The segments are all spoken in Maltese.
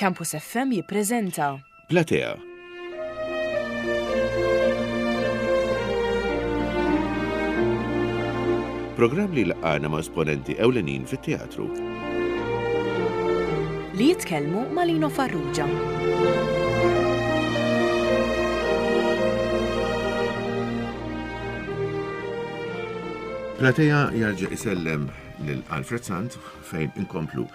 Campus FM jippreżenta. Platea. Programm li jlaqqagħna ma' esponenti ewlenin fit-teatru. Li jitkellmu ma' Lino Farrugia. Platea jarġa' isellem lil Alfred Sant fejn inkomplu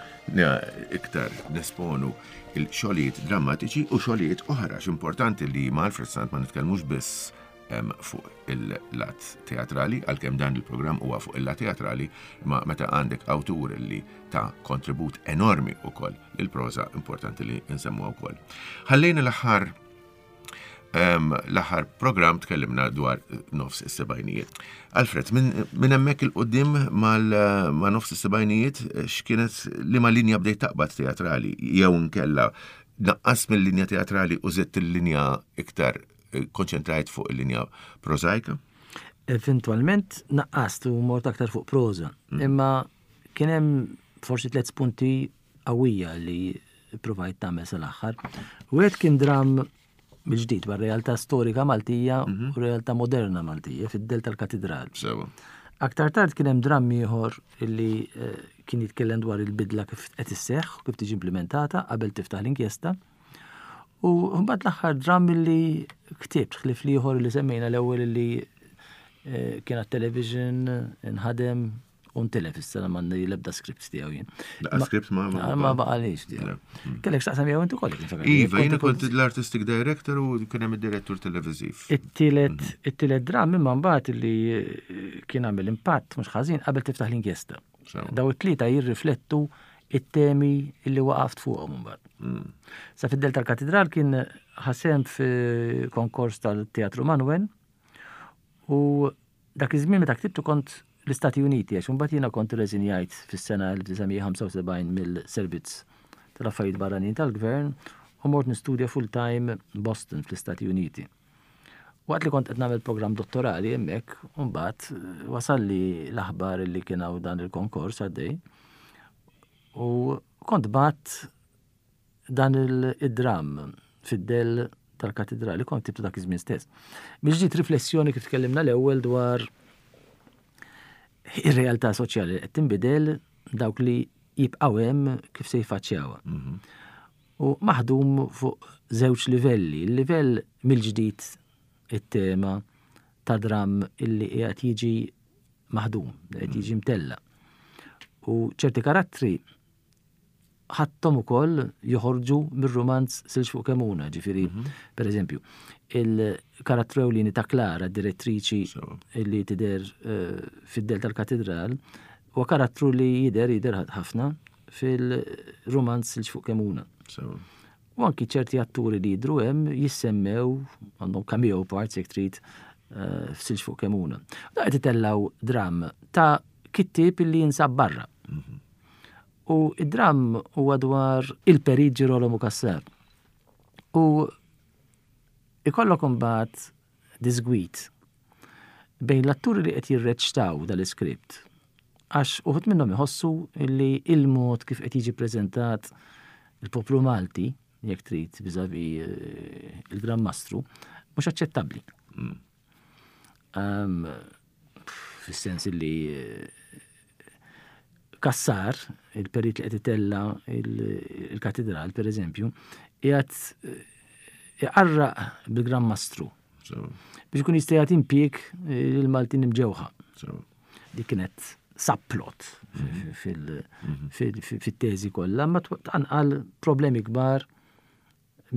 iktar nesponu il-xogħlijiet drammatiċi u xogħlijiet oħra x'importanti li ma' Alfred Sant ma nitkellmux biss fuq il-lat teatrali, għalkemm dan il-programm huwa fuq il-lat teatrali, ma meta għandek awtur li ta' kontribut enormi ukoll il-proża importanti li nsemmuha wkoll. Ħallejna l-aħħar L-aħħar programm tkellimna dwar nofs is-sebgħinijiet. Alfred, minn hemmhekk il-qudiem ma' nofs is-sebgħinijiet x'kienet liema linja bdejt taqbad teatrali jew inkella naqqas mill-linja teatrali u żidt il-linja iktar eh, konċentrajt fuq il-linja prożajka? Eventwalment naqqast u mort aktar fuq proża. Mm. Imma kien hemm forsi tliet spunti qawwija li provajt tagħmel sal-aħħar. Wieħed kien dram mill-ġdid dwar realtà storika Maltija mhm. u realtà moderna Maltija fid-del tal-Katidral. Aktar tard kien hemm dram ieħor illi eh, kien jitkellem dwar il-bidla kif qed isseħħ u kif tiġi implementata qabel tiftaħ l-inkjesta. U mbagħad l-aħħar dram illi ktibt ħlief ieħor li semmejna l-ewwel illi eh, kien għat-television inħadem U ntilef issa ma għandi l-ebda script tiegħu jien. Laqqa script ma ma ma baqalix tiegħu. Mm. Kellek x'taqsam jew inti kollek. Iva, jiena kont l-artistic director u kien hemm id-direttur televiżiv. It-tielet mm. it-tielet dram imma mbagħad li eh, kien għamel impatt mhux ħażin qabel tiftaħ l-inkjesta. Daw it-tlieta jirriflettu it-temi li waqaft fuqhom imbagħad. Mm. Sa fid-del tal-katedral kien ħasem fi konkors tal-Teatru Manuel u Dak iż-żmien meta ktibtu kont l-Istati Uniti għax imbagħad jiena kont irreżinjajt fis-sena 1975 mill-Servizz tal-Affarijiet Barranin tal-Gvern u mort nistudja full-time Boston fl-Istati Uniti. Waqt li kont qed nagħmel programm dottorali hemmhekk, imbagħad wasalli l-aħbar li kien hawn dan il-konkors għaddej u kont bgħatt Dan id-dramm fid-dell tal-katidrali kont ktibtu dak iż-żmien stess. Biex ġiet riflessjoni kif tkellimna l-ewwel dwar ir-realtà soċjali li qed tinbidel dawk li jibqgħu hemm kif se jfaċċjawha. Mhm. U maħdum fuq żewġ livelli, il-livell mill-ġdid it-tema ta' dramm illi qiegħed jiġi maħdum, qed jiġi mhm. mtella. U ċerti karattri ħadthom ukoll joħorġu mir-rumanz Silġ fuq Kemuna, ġifieri, mhm. per eżempju, il-karattru ewlieni ta' Klara, direttriċi li tidher eh, fid-del tal-katedral, huwa karattru li jidher jidher ħafna fil-rumanz Silġ fuq Kemuna. U anki ċerti atturi li jidru hemm jissemmew għandhom cameo parts jekk trid eh, f'Silġ fuq Kemuna. Da qed itellaw dram ta' kittieb li jinsab barra. Mhm. U id-dramm huwa dwar il-Perit Girolamo Cassar. U ikollok imbagħad disgwit bejn l-atturi li qed jirreċtaw dal-iskript għax uħud minnhom iħossu li il-mod kif qed jiġi preżentat il-poplu Malti, jekk trid viżavi eh, il-Gran Mastru, mhux aċċettabbli. Mm. Um, fis-sens li eh, Kassar, il-perit li qed itella il-katedral, per eżempju, qiegħed eh, iqarraq bil-Gran Mastru. Biex ikun jista' jagħti impjieg eh, lil Maltin imġewħa. Dik kienet subplot mhm. mhm. fil-teżi kollha, ma tqanqal problemi kbar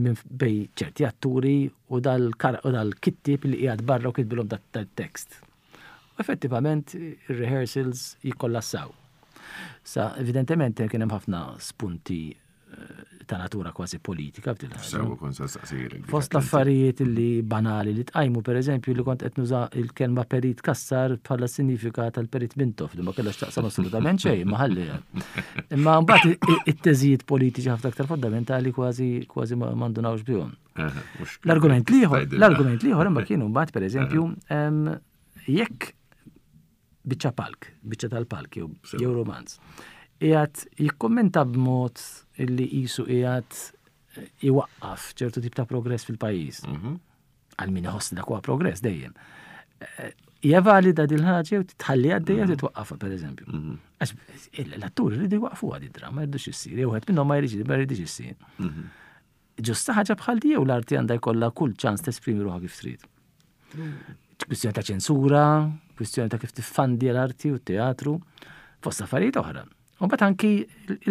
minn bej ċerti atturi u dal-kittib li qiegħed barra u kitbilhom dat-tekst. U effettivament ir-rehearsals jikkollassaw. Sa evidentement kien hemm ħafna spunti eh, ta' natura kważi politika f'din Sewa kont se staqsirek. Fost l-affarijiet li banali li tqajmu pereżempju li kont qed nuża il-kelma perit kassar bħala sinifika tal-perit Mintoff li ma kellha x'taqsam assolutament xejn, imma ħalli. Imma mbagħad it-teżijiet politiċi ħafna aktar fondamentali kważi kważi ma ndunawx bihom. L-argument liħor, l-argument liħor imma kienu mbagħad pereżempju jekk biċċa palk, biċċa tal-palk jew jew romanz, qiegħed jikkummenta b'mod illi qisu qiegħed iwaqqaf ċertu tip ta' progress fil-pajjiż. Mhm. Għal min iħoss dak huwa progress dejjem. Eh, hija valida dil ħaġa u tħalli għaddejja mhm. titwaqqafha pereżempju. Mhm. Għax l-atturi rridu jwaqfu għad id-drama, jridux issir, jew wieħed minnhom ma jridx ma jridx issir. Ġusta ħaġa bħal di jew l-arti għandha jkollha kull ċans tesprimi ruħha kif trid. Kwistjoni ta' ċensura, kwistjoni ta' kif tiffandi l-arti u t-teatru, fost affarijiet oħra. U mbagħad anki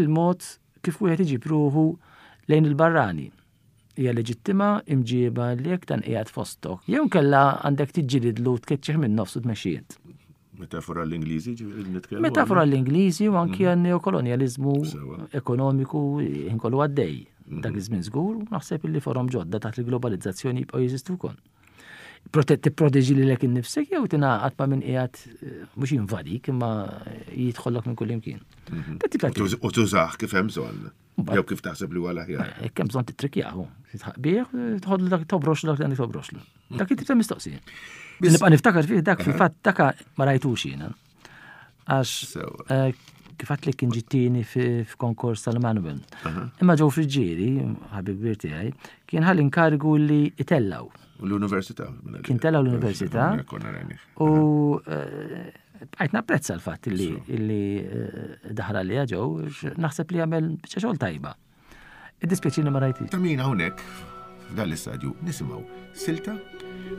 il-mod kif wieħed iġib ruħu lejn il-barrani. Hija leġittima imġieba li jekk dan qiegħed fostok. Jew kella għandek tiġġilidlu tkeċċih minn nofs u tmexxi int. Metafora l-Ingliżi nitkellmu. Metafora l-Ingliżi u anki mhm. għan-neokolonjaliżmu ekonomiku inkollu għaddej. Mhm. Dak iż-żmien żgur, naħseb li forom ġodda taħt il-globalizzazzjoni jibqgħu jeżistu wkoll. Tipproteġi lilek innifsek jew tingħaqad ma' min qiegħed eh, mhux jinvadik imma jidħollok minn kull imkien. Mhm. U tużah kif hemm bżonn. Jew kif taħseb li huwa l-aħjar. Eh, kemm bżonn titrikjahu, titħaq bih, tħodlu dak tobroxlu dak li għandek tobroxlu. Dak it-tip ta' mistoqsija. Nibqa' niftakar fih dak fil-fatt daka ma rajtux jiena. Għax eh, kif għat li kien ġittini f'konkors tal-Manuel. Imma ġew friġġieri, ħabib kbir tiegħi, kien ħal inkarigu li itellaw. L-università. Kien tellaw l-università. U eh, bqajt napprezza l-fatt li eh, daħal għalija ġew, naħseb li għamel biċċa xogħol tajba. Id-dispjaċini ma rajti. Ta' min hawnhekk f'dan l-istadju nisimgħu silta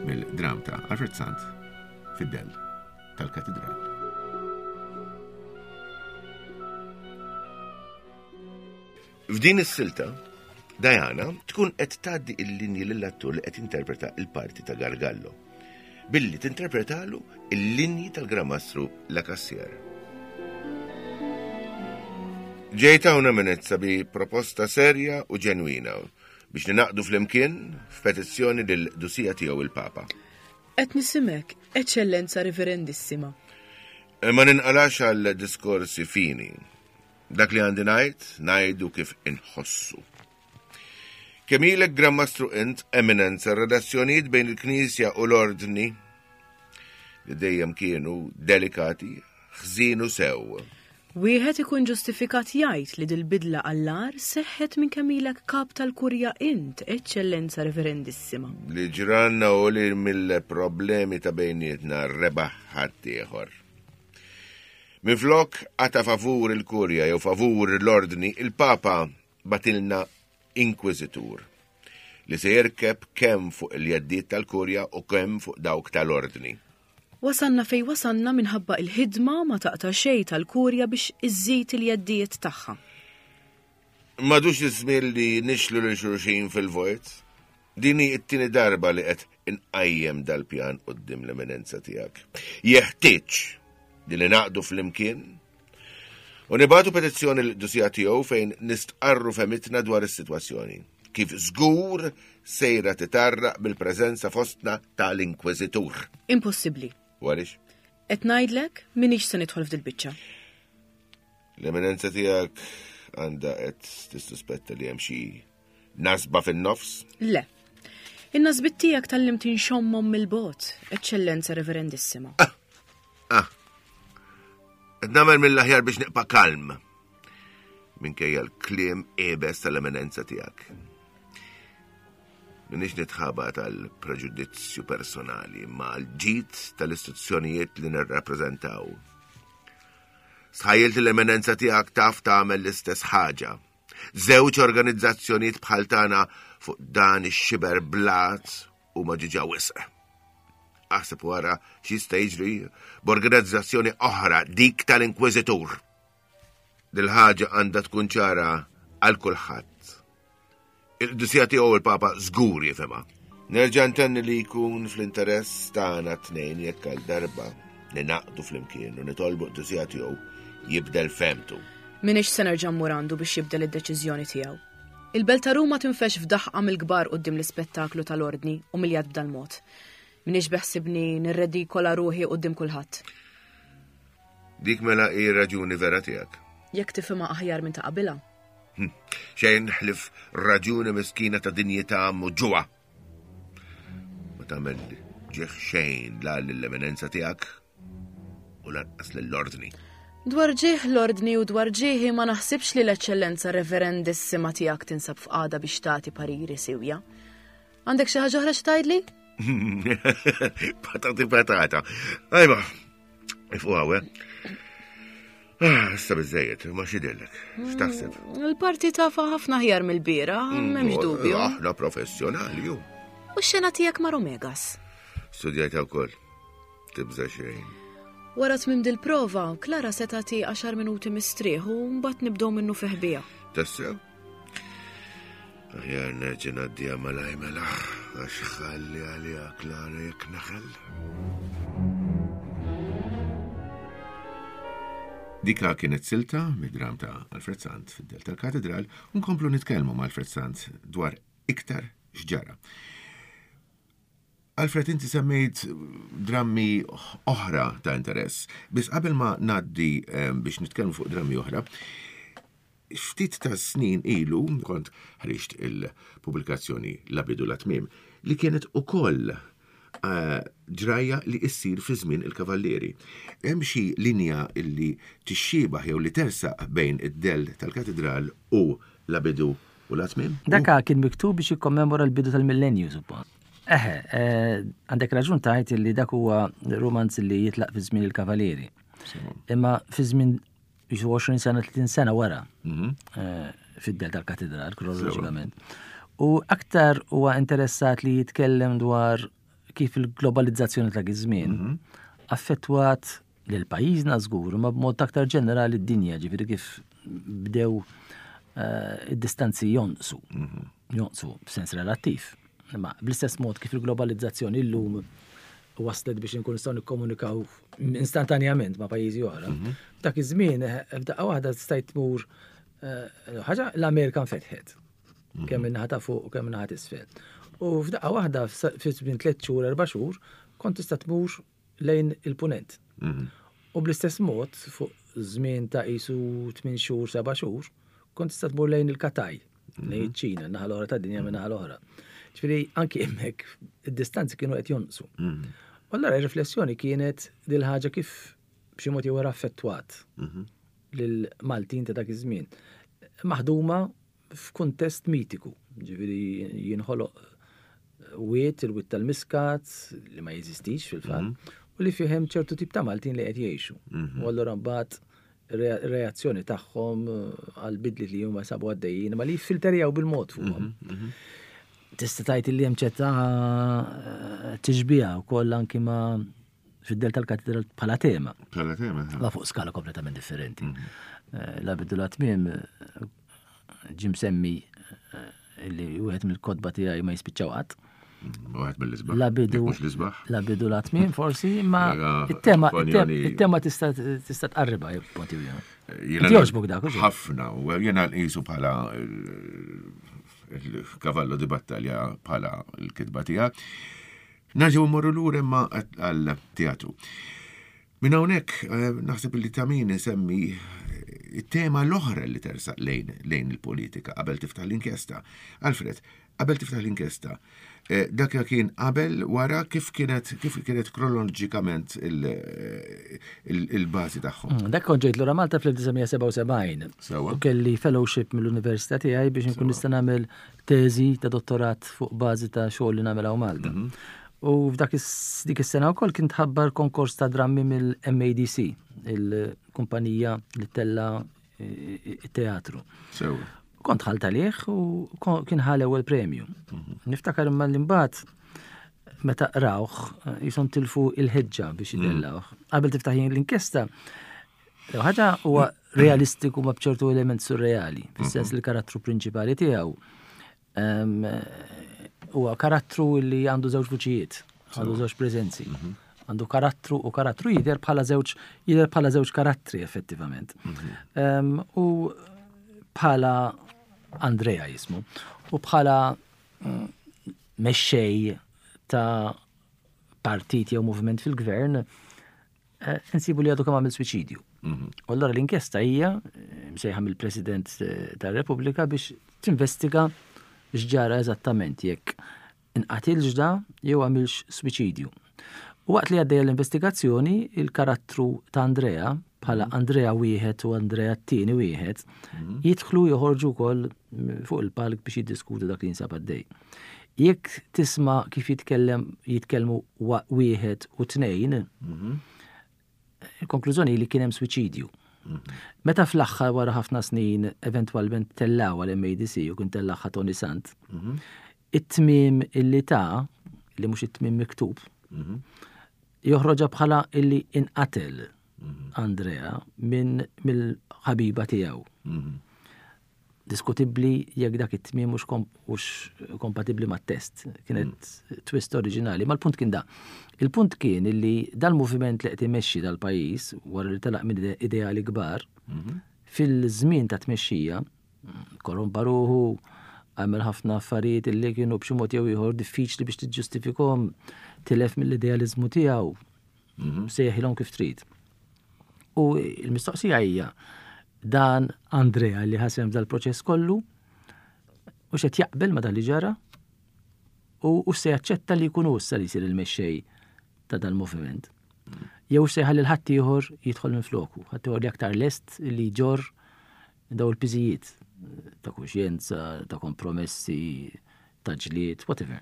mill-dram ta' Alfred Sant fid-dell tal-Katidral. F'din is-silta, Diana tkun qed tgħaddi il-linji lill-attur li qed jinterpreta il-parti ta' Gargallo, billi tinterpretalu il-linji tal-Gran Mastru La Cassière. Ġejt hawn Eminenza bi proposta serja u ġenwina biex ninaqdu flimkien f'petizzjoni lil Dusija tiegħu il-Papa. Qed nisimek, Eċċellenza Riverendissima. Ma ninqalax għal diskorsi fini. Dak li għandi ngħid, ngħidu kif inħossu. Kemm ilek Gran Mastru int, Eminenza, r-relazzjonijiet bejn il-Knisja u l-Ordni li dejjem kienu delikati, ħżienu sew. Wieħed ikun ġustifikat jgħid li dil-bidla għall-agħar seħħet minn kemm ilek Kap tal-Kurja int, Eċċellenza Reverendissima. Li ġranna u li mill-problemi ta' bejnietna rebaħ ħaddieħor. Minflok qata' favur il-Kurja jew favur l-Ordni, il-Papa bagħtilna Inkwiżitur li se jirkeb kemm fuq il-jeddiet tal-Kurja u kemm fuq dawk tal-Ordni. Wasalna fejn wasalna minħabba il-ħidma ma taqta' xejn tal-Kurja biex iżżid il-jeddijiet tagħha. M'għadux iż-żmien li nixlu lil xulxin fil-vojt. Din hi t-tieni darba li qed inqajjem dal-pjan quddiem l-Eminenza tiegħek. Jeħtieġ li ningħaqdu flimkien u nibagħtu petizzjoni lill-Qdusija tiegħu fejn nistqarru fehmitna dwar is-sitwazzjoni, kif żgur sejra titarraq bil-preżenza fostna tal-Inkwiżitur. Impossibbli. U għaliex? Qed ngħidlek m'iniex se nidħol f'dil-biċċa. L-Eminenza tiegħek għandha qed tissuspetta li hemm xi Nasba fin-nofs? Le. In-nasbit tiegħek tallimt inxommhom mill-bogħod, Eċċellenza Reverendissima. Ah! Ah! Qed nagħmel mill-aħjar biex nibqa' kalm. Minkejja l-kliem iebes tal-eminenza tiegħek. Minix nitħaba tal-preġudizzju personali, ma l-ġid tal-istituzzjonijiet li nirrappreżentaw. Sħajjilt l-eminenza tiegħek taf tagħmel l-istess ħaġa. Żewġ organizzazzjonijiet bħal tagħna fuq dan ix-xiber blat huma ġiġa wisq. Aħseb wara x'jista' jiġri b'organizzazzjoni oħra dik tal-Inkwiżitur. Dil-ħaġa għandha tkun ċara għal kulħadd. Il-qdusija tiegħu il-Papa żgur jifhimha. Nerġa' ntenni li jkun fl-interess tagħna tnejn jekk għal darba ninaqdu flimkien u nitolbu qdusija tiegħu jibdel femtu. M'iniex se nerġa' mmur għandu biex jibdel id-deċiżjoni tiegħu. Il-belt ta' Ruma tinfexx f'daħqa mill-kbar quddiem l-ispettaklu tal-Ordni umiljat b'dal-mod. M'iniex beħsibni nirredikola ruħi quddiem kulħadd. Dik mela hi r-raġuni vera tiegħek. Jekk tifhimha aħjar minn ta' qabilha. Hm, xejn ħlif raġuni miskina ta' dinjità muġugħa. Ma tagħmel ġieħ xejn la lill-eminenza tiegħek u lanqas lill-ordni. Dwar ġieħ l-ordni u dwar ġieħi ma naħsibx li l-Eċċellenza Reverendissima tiegħek tinsab f'qagħda biex tagħti pariri siwja. Għandek xi ħaġa oħra xi tgħidli? Patati patata. Ajba, ifuq hawn, eh? Ah, issa biżejjed, ma xidillek, x'taħseb? Il-parti tafa ħafna ħjar mill-bira, m'hemmx dubju. Aħna professjonali, ju. U x-xena tiegħek ma' Romegas? Studjajta wkoll. Tibża' xejn. Wara tmiem dil-prova, Klara se tagħti għaxar minuti mistrieħ u mbagħad nibdew minnu fih biha. Tassew? Aħjar nerġa' ngħaddiha malaj mela, għax ħalli għaliha Klara jekk naħel. Dika kienet silta mid-dram ta' Alfred Sant fid-Del tal-Katedral u nkomplu nitkellmu ma' Alfred Sant dwar iktar x'ġara. Alfred, inti semmejt drammi oħra ta' interess. Biss qabel ma ngħaddi biex nitkellmu fuq drammi oħra, ftit ta' snin ilu kont ħriġt il-pubblikazzjoni La bidu la tmiem li kienet ukoll eh, ġrajja li issir fi żmien il-kavallieri. Hemm xi linja illi tixxiebaħ jew li tersaq bejn id-dell tal-katedral u La bidu U la tmiem? Daka kien miktub biex jikkommemora l-bidu tal-millenju, suppost. Eħe, eh, għandek raġun tajt li dak huwa romanz li jitlaq fi żmien il-Kavalieri. Imma fi żmien 20 sena, 30 sena wara, mhm. eh, fid-del tal-katedral, kronoloġikament. U aktar huwa interessat li jitkellem dwar kif il-globalizzazzjoni ta' żmien mhm. affettwat lil pajjiżna żgur, imma b'mod aktar ġenerali d-dinja, ġifieri kif bdew eh, id-distanzi jonqsu, mhm. jonqsu b'sens relattiv. Imma bl-istess mod kif il-globalizzazzjoni llum waslet biex inkun nistgħu nikkomunikaw instantanjament ma' pajjiżi oħra. Mhm. Dak iż-żmien eh, f'daqqa waħda stajt tmur eh, ħaġa l-Amerika nfetħet. Mhm. Kemm in-naħa ta' fuq u kemm in-naħa t'isfel. U f'daqqa waħda fi żmien tliet xhur, erba' xhur, kont tista' tmur lejn il-punent. Mhm. U bl-istess mod, fuq żmien ta' qisu 8 xhur, 7 xhur, kont tista' tmur lejn il-Kataj, lejn mhm. iċ-Ċina, naħa l-oħra tad-dinja minn naħa l-oħra. Ġifieri anki hemmhekk id-distanzi kienu qed jonqsu. Mhm. U allura r-riflessjoni kienet dil ħaġa kif b'xi mod jew affettwat lil Maltin ta' dak iż-żmien. Maħduma f'kuntest mitiku, ġifieri jinħoloq wied, il-wied tal-Miskat, li ma jeżistix fil-fatt, mhm. u li fih hemm ċertu tip ta' Maltin li qed jgħixu. Mhm. U allura mbagħad reazzjoni tagħhom eh, għal bidli li huma sabu għaddejjin, ma li jiffilterjaw bil-mod fuqhom. Mhm, Tista' tgħid li hemm ċerta eh, tixbiha wkoll anki ma' fid-del tal-katedral bħala tema. Bħala tema. Ma fuq skala kompletament differenti. Mhm. Eh, la bidu la tmiem eh, ġim semmi eh, li wieħed mill-kodba tiegħi ma jispiċċaw qatt. Mhm, wieħed mill-isbaħ. La bidu. La bidu la tmiem forsi, imma it-tema it-tema tista' tista' tqarribha punti Jogħġbok dak, Ħafna, u jiena nqisu bħala il-kavallo di battalja bħala l-kitba tiegħek. Nerġgħu mmorru lura imma għal-teatru. Minn hawnhekk eh, naħseb li ta' min insemmi eh, it-tema l-oħra li tersaq lejn lejn il-politika qabel tiftaħ l-inkjesta. Alfred, qabel tiftaħ l-inkjesta, eh, dak kien qabel wara kif kienet kif kienet kronoloġikament il-bażi tagħhom. Mm, dak kont ġejt lura Malta fl-1977. U kelli fellowship mill-università tiegħi biex inkun nista' nagħmel teżi ta' dottorat fuq bażi ta' xogħol li nagħmel hawn Malta. Mhm. U f'dak dik is-sena wkoll kien tħabbar konkors ta' drammi mill-MADC, il-kumpanija li tella it-teatru. Kont ħalt għalih u kien ħal ewwel premju. Mhm. Niftakar imma li mbagħad meta qrawh jisom tilfu il-ħeġġa biex mhm. idellawh. Qabel tiftaħ l-inkjesta, Ħaġa huwa realistiku ma b'ċertu element surreali, fis-sens mhm. li karattru prinċipali tiegħu huwa karattru li għandu żewġ vuċijiet, għandu żewġ preżenzi. Mhm. Għandu karattru u karattru jidher bħala żewġ jidher bħala żewġ karattri effettivament. Mhm. U bħala Andrea jismu u bħala mm, mexxej ta' partit jew moviment fil-gvern Eh, insibu li għadu kemm għamil suicidju. Mhm. U allura l-inkjesta hija eh, msejħa mill-President eh, tar-Repubblika biex tinvestiga x'ġara eżattament jekk inqatilx da jew għamilx suicidju. U waqt li għaddejja l-investigazzjoni, il-karattru ta' Andrea bħala Andrea wieħed u Andrea t-tieni wieħed jidħlu joħorġu wkoll fuq il-palk biex jiddiskutu dak li jinsab għaddej. Jekk tisma' kif jitkellem jitkellmu wieħed u tnejn, il-konklużjoni li kien hemm suwiċidju. Meta fl-aħħar wara ħafna snin eventwalment tellaw għal MADC u kien tellagħha Tony Sant, it-tmiem illi ta' li mhux it-tmiem miktub, joħroġha bħala illi inqatel Andrea minn mill-ħabiba tiegħu. Diskutibbli jekk dak it-tmiem mhux kompatibbli mat-test. Kienet mm. twist oriġinali, ma l-punt kien da. Il-punt kien illi dal-moviment li qed imexxi dal-pajjiż wara li telaq minn ideali kbar, mhm. fil-żmien ta' tmexxija korrompa ruħu, għamel ħafna affarijiet illi kienu b'xi mod jew ieħor diffiċli biex tiġġustifikhom, tilef mill-idealiżmu tiegħu, mhm. sejħilhom kif trid. U l-mistoqsija hija dan Andrea li ħasem dal-proċess kollu u xed jaqbel ma dan li ġara u se jaċċetta li jkun issa li jsir il-mexxej ta' dal-moviment. Jew se jħalli l-ħaddieħor jidħol minn floku, ħaddieħor li aktar lest li jġorr daw il-piżijiet ta' kuxjenza, ta' kompromessi, ta' ġlied, whatever.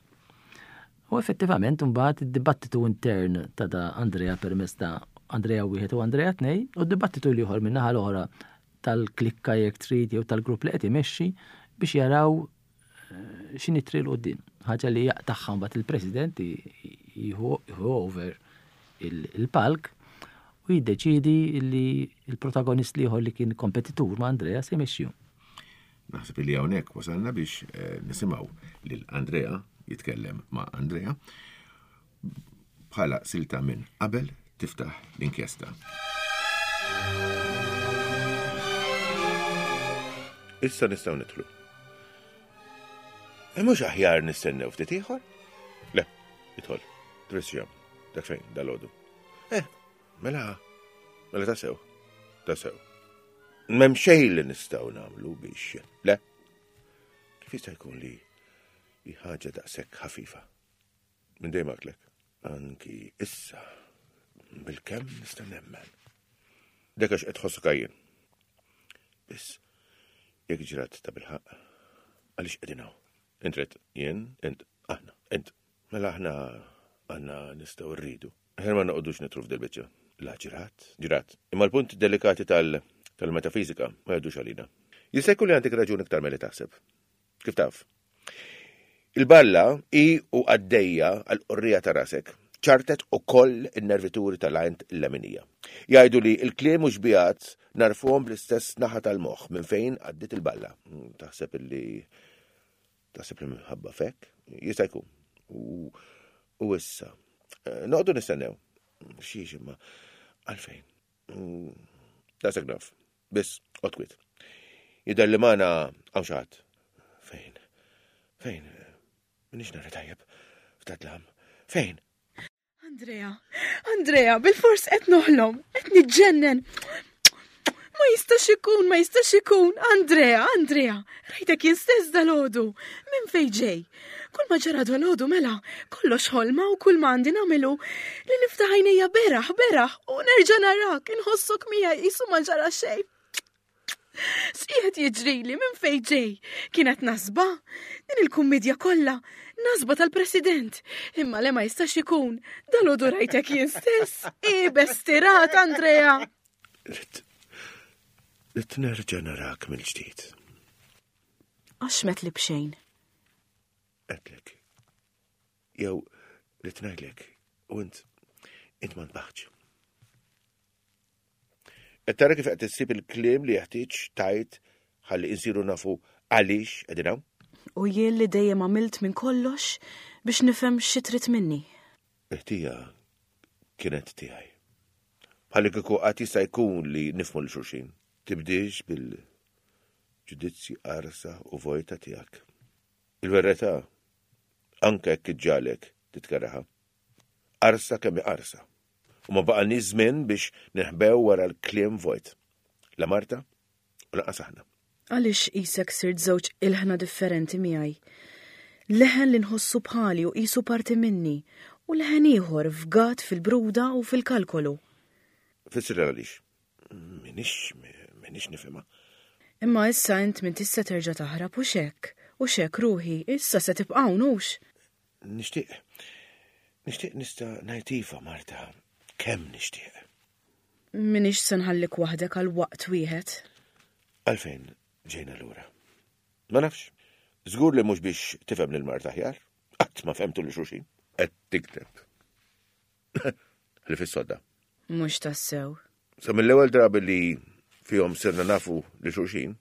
U effettivament imbagħad id-dibattitu intern ta' da Andrea permezz ta' Andrea wieħed u Andrea tnej u d-dibattitu l-ieħor min-naħa l-oħra tal-klikka jekk trid jew tal-grupp li qed imexxi biex jaraw eh, x'inhi triq 'l quddiem. Ħaġa li jaqtagħha mbagħad il-President jieħu over il-palk u jiddeċiedi li l-protagonist l-ieħor li kien kompetitur ma' Andrea se jmexxihom. Naħseb li hawnhekk wasalna biex eh, nisimgħu lil Andrea jitkellem ma' Andrea bħala silta minn qabel tiftaħ l-inkjesta. Issa nistgħu nidħlu. E mhux aħjar nistennew ftit ieħor? Le, idħol. Trisjam, dak fejn dal-għodu. Eh, mela, mela tasew, tasew. M'hemm xejn li nistgħu nagħmlu biex. Le. Kif jista' jkun li hi ħaġa daqshekk ħafifa? Minn dejjem għedtlek. Anki issa bil-kemm nista' nemmen. Dak għax qed tħossok għajjien. Biss jekk ġrat ta' bilħaqq, għaliex qegħdin hawn? Int rid, jien, int, aħna, int. Mela aħna għandna nistgħu rridu. Aħjar ma noqogħdux nidħlu f'dil-biċċa. La ġrat, ġrat. Imma l-punti delikati tal-metafiżika ma jgħaddux għalina. Jista' jkun li għandek raġun iktar milli taħseb. Kif taf? Il-balla hi u għaddejja għall-qorrija ta' rasek. Ċartet ukoll in-nervituri tal-għajn il-leminija. Jgħidu li l-kliem u xbigħat narfuhom bl-istess naħa tal-moħħ minn fejn għaddiet il-balla. Taħseb illi Taħseb li minħabba fek? Jista' jkun. U, u issa. Eh, noqogħdu nistennew. Xiex imma għalfejn. Mm, Daqshekk naf. Biss, qgħod Jidher li magħna hawn xi ħadd. Fejn? Fejn? Minix nara tajjeb f'dadlam. Fejn? Andrea, Andrea, bil-fors qed noħlom, qed niġġennen. Ma jistax ikun, ma jistax ikun. Andrea, Andrea, rajtek jien stess dalodu. Minn fej ġej? Kull ma ġara dalodu mela, kollox ħolma u kull ma għandi nagħmelu li niftaħ għajnejja beraħ, beraħ u nerġa' narak, inħossok miegħi qisu ma ġara xejn. X'qiegħed jiġrili minn fejn ġej? Kienet nasba? Din il-kummedja kollha, nasba tal-President. Imma le ma jistax ikun. Dal-għodu rajtek jien stess. Ibes tirat, Andrea. Rid nerġa' narak mill-ġdid. Għax met li bxejn. Għedtlek. Jew rrid ngħidlek u int int ma ntbaħtx. Qed tara kif qed issib il-kliem li jeħtieġ tgħid ħalli insiru nafu għaliex qegħdin hawn? U jien li dejjem għamilt minn kollox biex nifhem xi trid minni. Il-ħtija kienet tiegħi. Bħalli kieku qatt jista' jkun li nifhmu lil xulxin. Tibdiex bil-ġudizzji qarsa u vojta tiegħek. Il-verità, anke jekk iġġagħlek titkerrahha. Qarsa kemm hi qarsa. U ma baqalniex żmien biex ninħbew wara l-kliem vojt. La Marta u lanqas aħna. Għaliex qisek sirt żewġ ilħna differenti miegħi? Leħen li nħossu bħali u qisu parti minni, u leħen ieħor fgat fil-bruda u fil-kalkolu. Fissirha għaliex. Minix, minix nifhimha. Imma issa int m'intix se terġa' taħrab, hux hekk? Hux hekk, ruħi, issa se tibqa' hawn, hux? Nixtieq, nixtieq nista' ngħid iva, Marta, kemm nixtieq. Minix se nħallik waħdek għal waqt wieħed. Għalfejn ġejna lura? Ma nafx. Żgur li mhux biex tifhem lil Marta aħjar. Qatt ma fhemtu lil xulxin. Qed tikteb. Li fis-sodda. Mhux tassew. Sa mill-ewwel drabi li fihom sirna nafu li xulxin,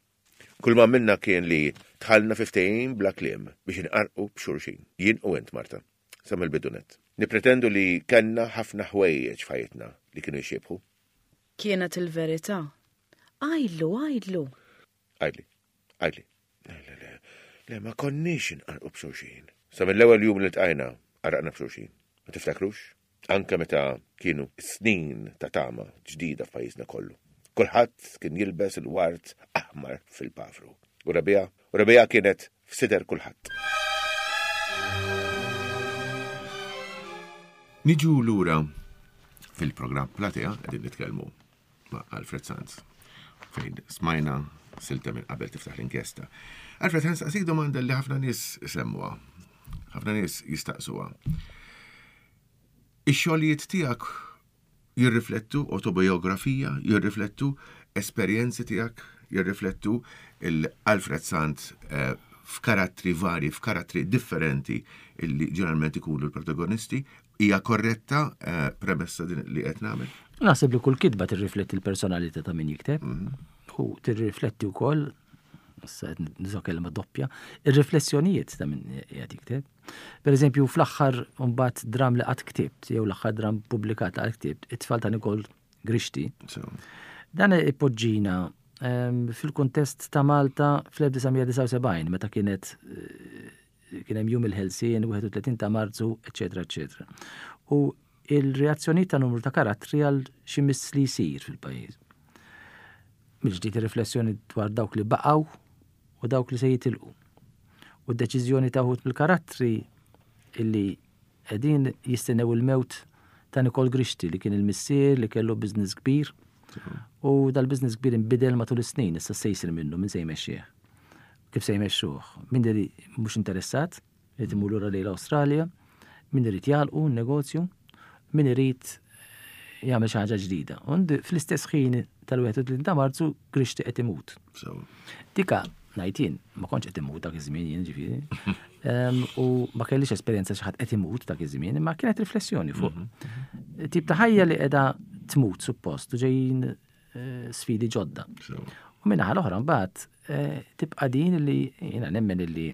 kull ma minna kien li tħallna fi ftehim bla kliem biex inqarqu b'xulxin. Jien u int, Marta. Sa mill-bidu nett. Nippretendu li kellna ħafna ħwejjeġ f'ħajjitna li kienu jxiebħu. Kienet il-verità. Għidlu, għidlu. Għidli, għidli. Le, le, le, le, ma konniex inqarqu b'xulxin. Sa mill-ewwel jum li ltqajna, qarraqna b'xulxin. Ma tiftakrux? Anke meta kienu snin ta' tama ġdida f'pajjiżna kollu. Kulħadd kien jilbes il-ward aħmar fil-pavru. U rebija, u rebija kienet f'sider kulħadd. Niġu lura fil-programm Platea qegħdin nitkellmu ma' Alfred Sanz fejn smajna silta minn qabel tiftaħ l-inkjesta. Alfred Sanz għasik domanda li ħafna nies isemmuha, ħafna nies jistaqsuha. Ix-xogħlijiet tiegħek jirriflettu autobiografija, jirriflettu esperjenzi tiegħek, jirriflettu l-Alfred Sant eh, f'karattri vari, f'karattri differenti illi ġeneralment ikunu l-protagonisti, Hija korretta eh, premessa din li qed nagħmel? Naħseb li kull kitba tirrifletti l-personalità ta' min jikteb. Mhm. U tirrifletti wkoll issa qed nuża kelma doppja, ir-riflessjonijiet ta' min qiegħed jikteb. Per eżempju, fl-aħħar mbagħad dram li qatt ktibt, jew l-aħħar dram pubblikat li qatt ktibt, it-tfal ta' Nikol Grixti. Dan ipoġġina ehm, fil-kuntest ta' Malta fl-1979 meta kienet eh, kien hemm jum il-ħelsien, 31 ta' Marzu, eċetera, eċetera. U il-reazzjonijiet ta' numru ta' karattri għal xi miss li jsir fil-pajjiż. Mill-ġdid ir-riflessjoni dwar dawk li baqgħu u dawk li se jitilqu. U d-deċiżjoni ta' wħud mill-karattri illi qegħdin jistennew il-mewt ta' Nikol Grixti li kien il-missier li kellu business kbir u dal-business kbir inbidel matul is-snin, issa se jsir minnu min se jmexxih. Kif se jmexxuh? Min mhux interessat, irid imur lura lejn l-Awstralja, min irid jagħlqu n-negozju, min irid eh, jagħmel xi ħaġa ġdida. Und fl-istess ħin tal-31 ta' Marzu Grixti qed imut. Dika ngħid jien, ma kontx qed imut dak iż-żmien jien ġifieri. U ma kellix esperjenza xi ħadd qed imut dak iż-żmien, imma kienet riflessjoni fuq mhm, mhm. tip ta' ħajja li qiegħda tmut suppost u ġejjin eh, sfidi ġodda. U minnaħa l-oħra mbagħad eh, tibqa' din li jiena nemmen li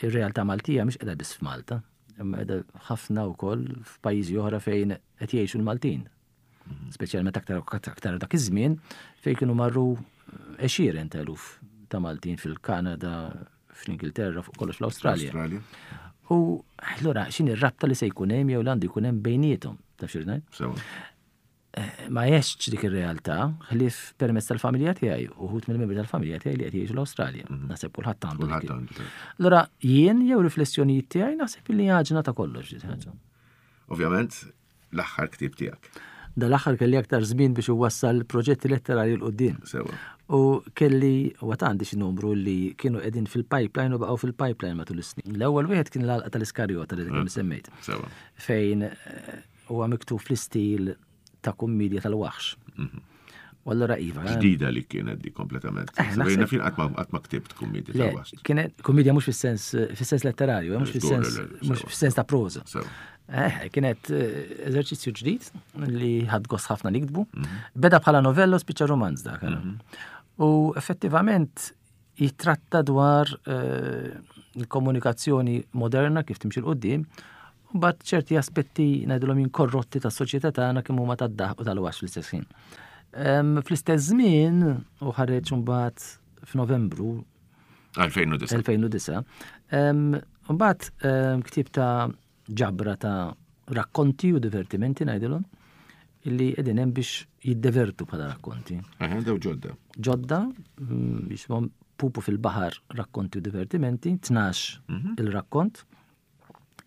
ir-realtà Maltija mhix qiegħda biss f'Malta, imma qiegħda ħafna wkoll f'pajjiżi oħra fejn qed jgħixu l-Maltin. Mhm. Speċjalment aktar aktar dak iż-żmien fejn kienu marru għexieren ta' eluf ta' Maltin fil-Kanada, fl-Ingilterra, fuq kollox fl-Awstralja. U allura x'inhi r-rabta li se jkun hemm jew l-għandu jkun hemm bejniethom, taf xi Eh, ma jex dik ir-realtà ħlief permezz tal-familja tiegħi uħud mill-membri tal-familja tiegħi li qed jgħixu l-Awstralja. Mhm. Naħseb kulħadd għandu. Allura jien jew riflessjonijiet tiegħi naħseb li għaġna ta' kollox dik ħaġa. Ovvjament l-aħħar ktieb tiegħek. Dal-aħħar kelli aktar żmien biex iwassal proġetti letterarji l qudiem Sewa. U kelli u għad għandi xi numru li kienu qegħdin fil-pipeline u baqgħu fil-pipeline matul is-snin. L-ewwel wieħed kien l-għalqa tal-Iskarjota li kemm mm. semmejt. Sewa. Fejn eh, Huwa miktub fl-istil ta' kummedja tal-waħx. Mhm. U allura iva. Eh. Ġdida li kienet di kompletament. Eh, Bejna fin qatt ma ktibt kummedja tal-waħx. Kienet kummedja mhux fis-sens fis-sens letterarju, eh, mhux fis-sens mhux fis-sens ta' proża. Kienet eżerċizzju ġdid li ħadd gost ħafna niktbu. Mhm. Beda bħala novella u spiċċa romanz dak. Mhm. U effettivament jittratta dwar eh, il-komunikazzjoni moderna kif timxi l-qoddim, u mbagħad ċerti aspetti ngħidulhom jien korrotti tas-soċjetà tagħna kemm huma tad-daħq u tal-waxx fl-istess ħin. Fl-istess żmien u ħareġ imbagħad f'Novembru 2009. 2009. Mbagħad ktieb ta' ġabra ta' rakkonti u divertimenti ngħidilhom illi qegħdin hemm biex jiddevertu bħala rakkonti. Aha, daw ġodda. Ġodda, mm, jisimhom Pupu fil-baħar rakkonti u divertimenti, 12 mhm. il-rakkont,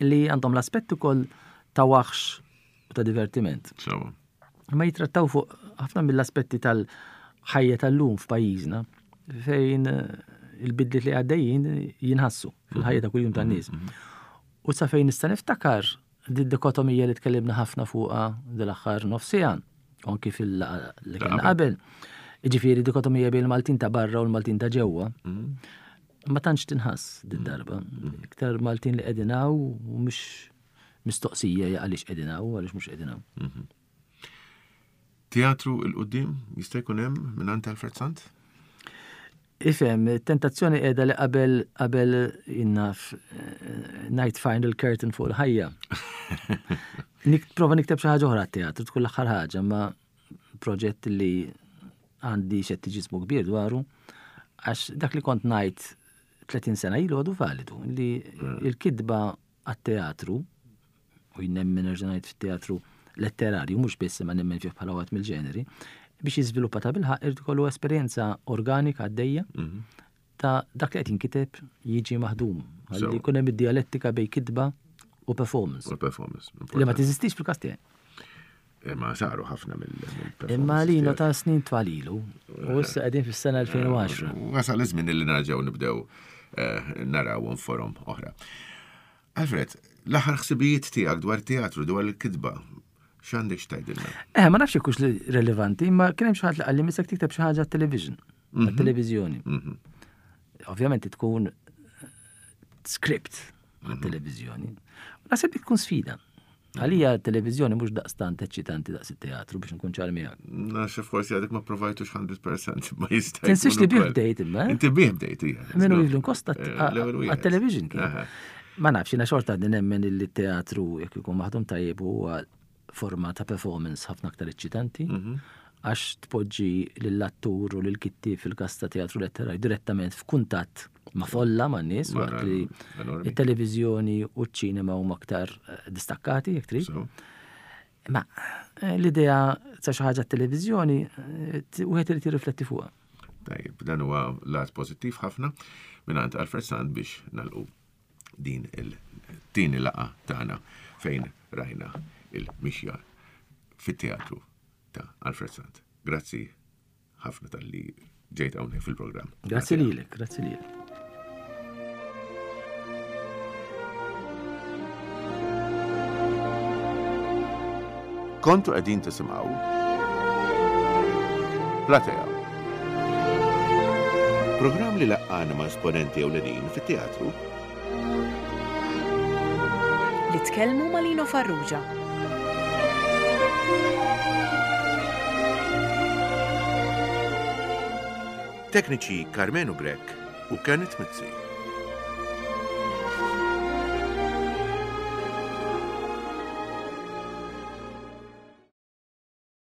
li għandhom l-aspett ukoll ta' waħx u ta' divertiment. Sewa. Ma jitrattaw fuq ħafna mill-aspetti tal-ħajja tal-lum f'pajjiżna fejn il-bidliet li għaddejjin jinħassu fil-ħajja ta' kuljum tan-nies. U sa fejn nista' niftakar di dikotomija li tkellimna ħafna fuqha dil-aħħar nofsija, anki fil-laqgħa li kellna qabel. Jiġifieri dikotomija bejn il-Maltin ta' barra u l-Maltin ta' ġewwa. Ma tantx tinħass din darba. Iktar Maltin li qegħdin hawn u mhux mistoqsija hija għaliex qegħdin hawn u għaliex mhux qegħdin hawn. Mhm. Teatru il-qudiem jista' jkun hemm mingħand Alfred Sant? Ifhem, tentazzjoni qiegħda li qabel qabel jinnaf eh, night final curtain fuq il-ħajja. Prova nikteb xi ħaġa oħra teatru tkun l-aħħar ħaġa, ma proġett li għandi xettiġismu kbir dwaru, għax dak li kont ngħid 30 sena ilu għadu validu, li mm. il-kidba għat-teatru, u jnemmen nerġa' ngħid fit-teatru letterarju, mhux biss imma nemmen fih bħala waħed mill-ġeneri, biex jiżviluppa ta' bilħaq irid ikollu esperjenza organika għaddejja mhm. ta' dak li qed jinkiteb jiġi maħdum. Ħalli jkun hemm id-dialettika bejn kitba u performance. U performance. Li ma teżistix fil-każ tiegħi. Imma saru ħafna mill Imma lina ta' snin twalilu, u issa qegħdin fis-sena 2010. Wasal iż-żmien li nerġgħu nibdew eh, naraw forom oħra. Alfred, l-aħħar ħsibijiet tiegħek dwar teatru, dwar il-kitba, x'għandek x'tgħidilna? Eh, ma nafx hux rilevanti, imma kien hemm xi ħadd li qalli misek tikteb xi ħaġa television, mhm. televiżjoni. Mhm. Ovvjament tkun script għat-televiżjoni. Naħseb li tkun sfida. Għalija t-televiżjoni mhux daqstant eċċitanti daqs it-teatru biex nkun ċar miegħek. Naxx forsi għadek ma provajtux 100% ma jista'. Tinsiex li bih bdejt imma. Eh? Inti bih bdejt hija. Minu Evelyn Costa eh, għat-television kien. Ma nafx, jiena xorta għadni nemmen li t-teatru jekk ikun maħdum tajjeb huwa forma ta' performance ħafna aktar eċċitanti. Mhm. Għax tpoġġi lill-attur u lill-kittieb fil-każ ta' teatru letterarju direttament f'kuntatt ma' folla ma' nies waqt li it-televiżjoni u ċ-ċinema huma aktar eh, distakkati jekk trid. Ma eh, l-idea ta' xi ħaġa t-televiżjoni eh, wieħed irid jirrifletti fuqha. Tajjeb, dan huwa lat pożittiv ħafna mingħand Alfred Sand biex nalqu din il-tieni laqa tagħna fejn rajna il-mixja fit-teatru ta' Alfred Sant. Grazzi ħafna tal-li ġejt hawnhekk fil-programm. Grazzi lilek, grazzi lilek. Kontu qegħdin tisimgħu Platea. Programm li laqqana ma' esponenti ewlenin fit-teatru Li tkellmu ma' Lino Farrugia. Tekniċi Karmenu Grech u Kenneth Mizzi.